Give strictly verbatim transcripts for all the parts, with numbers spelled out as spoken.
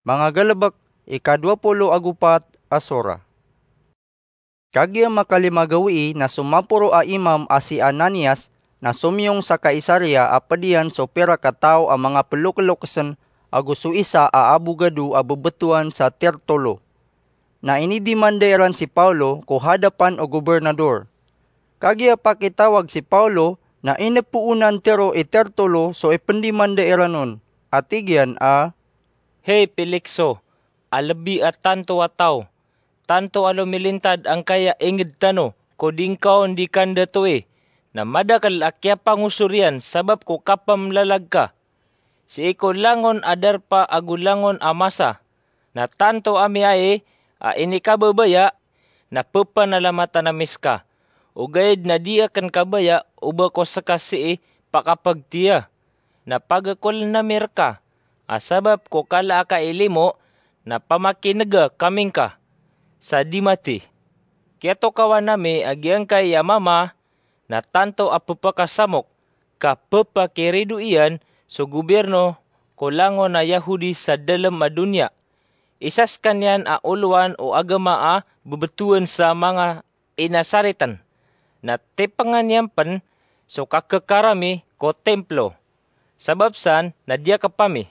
Manga galebek, ika dowa polo ago pat a sora. Kagiya makalima gawii na so maporo a imam a si Ananias na somiyong sa Kaisaria a ped iyan so pirak a taw a manga pelokelokesen ago so isa a abogado a bebetowan sa Tertulo. Na inidimanda iran si Paulo ko hadapan o gobernador. Kagiya pakitawag si Paulo na inepoonan tero i Tertulo so ipendimanda iran on, a tig iyan a, "Hay Pelikso, a lebi a tanto a taw, tanto a lomilintad angkaya inged tano ko di ngka on di kandatoi, na madakel a kiyapangosor iyan sabap ko kapemlalag ka. Sii ko langon a darpa ago langon a masa, na tanto ami ai a inikababaya na pepanalamatan ami seka, ogaid na di aken kabaya o ba ko seka sii pakapagtiya. Na pagekolen ami reka a sabap ko kala a kailimo na pamakinega kami ngka sa di mati. Kiyatokawan ami a giyangkai a mama na tanto a pepakasamok ka pepakirido iyan so gobirno ko langon a Yahudi sa dalem a doniya. Isa sekaniyan a olowan o agama a bebetowan sa manga Inasariten. Na tipengan iyan pen so kakekarami ko Templo. Sabap san na diyakep ami.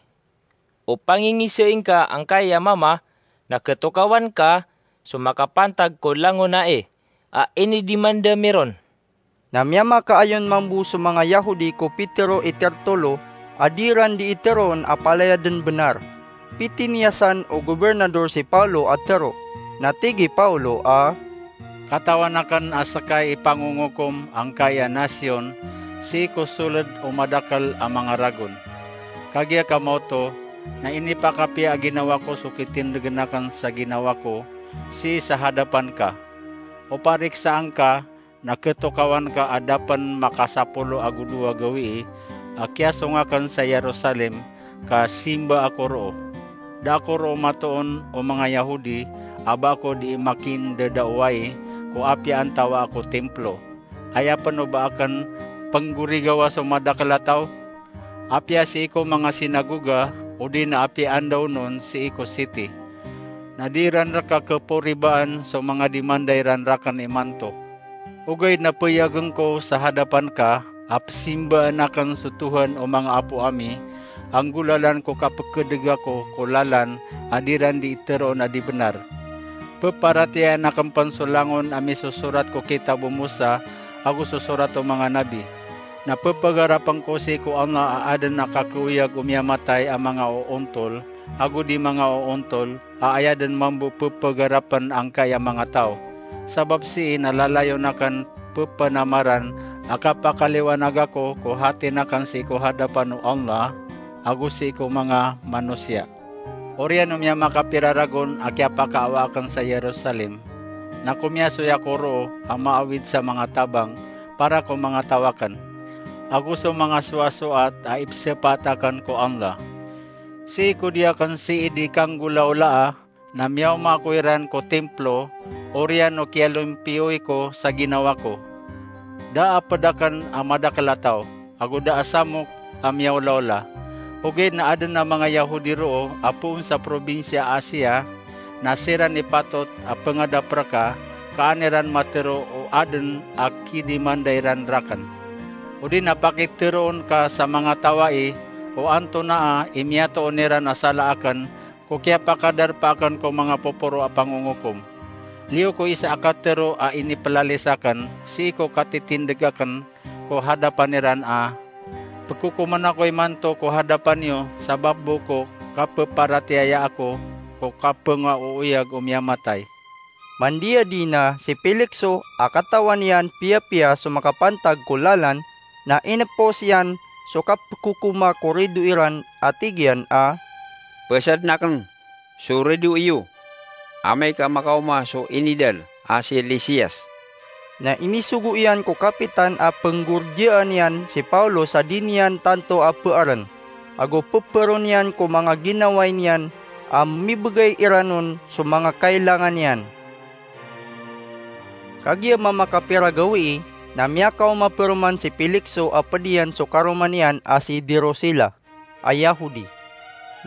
O pangingisai ngka angkai a mama na ketokawan ka so makapantag ko langon ai a inidimanda mi ron." Na miyamakaayon mambo so manga Yahudi ko pitero i Tertulo a di ran di iteroon a palaya den benar. Pitiniyasan o gobernador si Paulo a tero. Na tig i Paulo a, "Katawan aken a seka i pangongokom angkai a nasiyon sii ko soled o madakel a manga ragon. Kagiya ka maoto na inipakapiya a ginawa ko so kitindegen aken sa ginawa ko sii sa hadapan ka. O pariksaan ka na ketokawan ka a da pen makasapolo ago dowa gawii a kiyasong aken sa Jerusalem ka simba ako roo. Da ako roo matoon o manga Yahudi a ba ako di makindadaowai ko apiya antawaa ko Templo. Aya pen o ba aken penggorigawa so madakel a taw? Apiya sii ko manga sinagoga, odi na apiya andaonon sii ko siti. Na di ran reka keporibaan so manga dimanda iran raken imanto. Ogaid na peyagen ko sa hadapan ka a pesimbaan aken so Tuhan o manga apo ami, a nggolalan ko kapekedeg ako ko lalan a di ran di iteroon a di benar. Peparatiyayaan aken pen so langon a misosorat ko kitab o Mosa ago so sorat o manga nabi. Na pepagarapen ko sii ko Allah a aden a kakeoyag o miyamatay a manga oontol ago di manga oontol a aya den mambo pepegarapen angkai a manga taw. Sabap sii na lalayon aken pepenamaran a kapakaliwanag ako ko hatin aken sii ko hadapan o Allah ago sii ko manga manosiya. Oriyan o miyamakapira ragon a kiyapakaawa aken sa Jerusalem, na komiyasoy ako roo a maawid sa manga tabang para ko manga taw aken, ago so manga soasoat a ipsepaat aken ko Allah. Sii ko di aken sii di kanggolaolaa, na miyaoma ako iran ko Templo, oriyan o kiyalompiyoy ko sa ginawa ko. Da a ped aken a madakel a taw, ago da a samok a miyaolaola. Ogaid na aden a manga Yahudi roo a poon sa probinsiya Asia, na siran i patot a pengadap reka, ka an iran matero o aden a kidimanda iran raken. Odi na pakiteroon ka sa manga taw ai o antonaa i miyatoon iran a sala aken, ko kiyapakadarpa aken ko manga poporo a pangongokom. Liyo ko isa a katero a inipelalis aken sii ko katitindeg aken ko hadapan iran a, pekokomen ako imanto ko hadapan iyo sabap bo ko kapeparatiyaya ako ko kapengaooyag o miyamatay. Mandiyadi na si Pelikso a katawan iyan piyapiya so makapantag ko lalan, na inepos iyan so kapekokoma ko rido iran a tig iyan a, "Pesaden aken so rido iyo, amay ka makaoma so inidal a si Lisias." Na inisogo iyan ko kapitan a penggorjaan iyan si Paulo sa di niyan tanto a pearen, ago peperon iyan ko manga ginawai niyan a mibegay iran on so manga kailangan iyan. Kagiya mamakapira gawii, na miyakaoma peroman si Pelikso a ped iyan so karoma niyan a si Dirosila a Yahudi.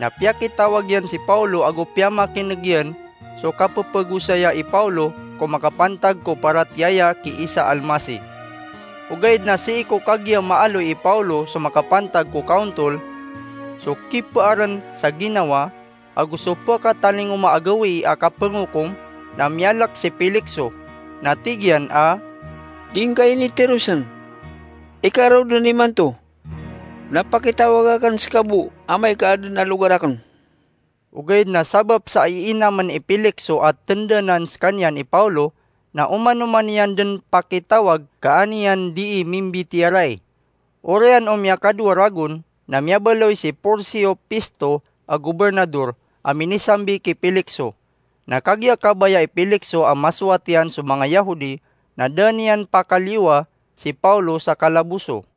Na piyakitawag iyan si Pawlo ago piyamakin'g iyan so kapepegosaya i Pawlo ko makapantag ko paratiyaya ki Isa Almasi. Ogaid na sii ko kagiya maaloy i Pawlo so makapantag ko kaontol, so kipearn sa ginawa, ago so pekatalingoma a gawii a kapengokom, na miyalek si Pelikso, na tig iyan a, "Di ngka initerosen. Ika raw den imanto, na pakitawag aken seka bo amay ka aden a logar aken." Ogaid na sabap sa iinamen i Pelikso a tendanan sekaniyan i Pawlo, na oman-oman iyan den pakitawag ka an iyan dii mimbitiyarai. Oriyan o miyakadowa ragon, na miyabaloy si Porsio Pisto a gobernador a minisambi ki Pelikso. Na kagiya kabaya i Pelikso a masowat iyan so manga Yahodi, na da niyan pakaliyowa si Pawlo sa kalaboso.